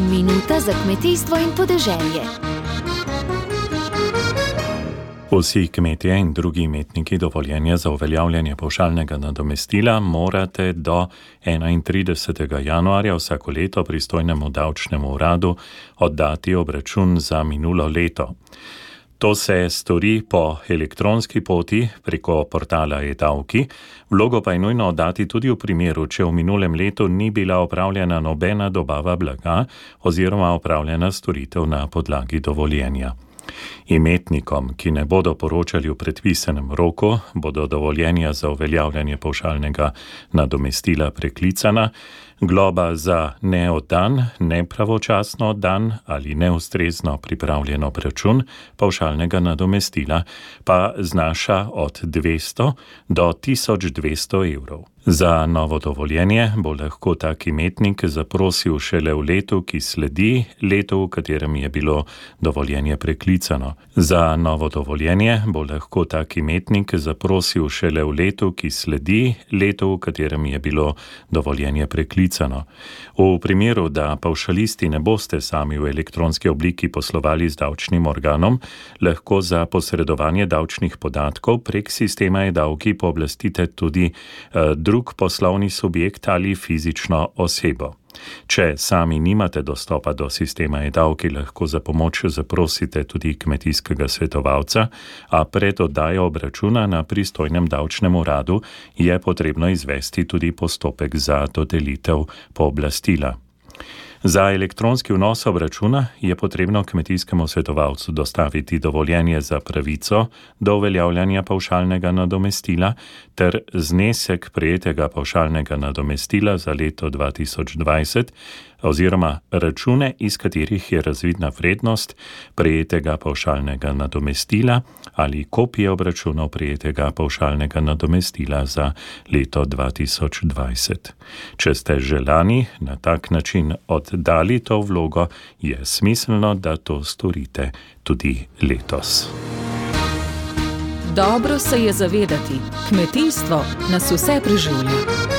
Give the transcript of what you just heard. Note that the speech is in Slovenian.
Minuta za kmetijstvo in podeželje. Vsi kmetje in drugi imetniki dovoljenja za uveljavljanje pavšalnega nadomestila morate do 31. januarja vsako leto pristojnemu davčnemu uradu oddati obračun za minulo leto. To se stori po elektronski poti preko portala e-davki, vlogo pa je nujno oddati tudi v primeru, če v minulem letu ni bila opravljena nobena dobava blaga oziroma opravljena storitev na podlagi dovoljenja. Imetnikom, ki ne bodo poročali v predpisanem roku, bodo dovoljenja za uveljavljanje pavšalnega nadomestila preklicana, globa za neoddan, nepravočasno oddan ali neustrezno pripravljen obračun pavšalnega nadomestila pa znaša od 200 do 1200 evrov. Za novo dovoljenje bo lahko tak imetnik zaprosil šele v letu, ki sledi letu, v katerem je bilo dovoljenje preklicano. Za novo dovoljenje bo lahko tak imetnik zaprosil šele v letu, ki sledi letu, v katerem je bilo dovoljenje preklicano. V primeru, da pavšalisti ne boste sami v elektronski obliki poslovali z davčnim organom, lahko za posredovanje davčnih podatkov prek sistema e-davki pooblastite tudi drug poslovni subjekt ali fizično osebo. Če sami nimate dostopa do sistema e-davki, lahko za pomoč zaprosite tudi kmetijskega svetovalca, a pred oddajo obračuna na pristojnem davčnem uradu je potrebno izvesti tudi postopek za dodelitev pooblastila. Za elektronski vnos obračuna je potrebno kmetijskemu svetovalcu dostaviti dovoljenje za pravico do uveljavljanja pavšalnega nadomestila ter znesek prejetega pavšalnega nadomestila za leto 2020 oziroma račune, iz katerih je razvidna vrednost prejetega pavšalnega nadomestila ali kopije obračunov prejetega pavšalnega nadomestila za leto 2020. Če ste že lani na tak način oddali to vlogo, je smiselno, da to storite tudi letos. Dobro se je zavedati, kmetijstvo nas vse preživlja.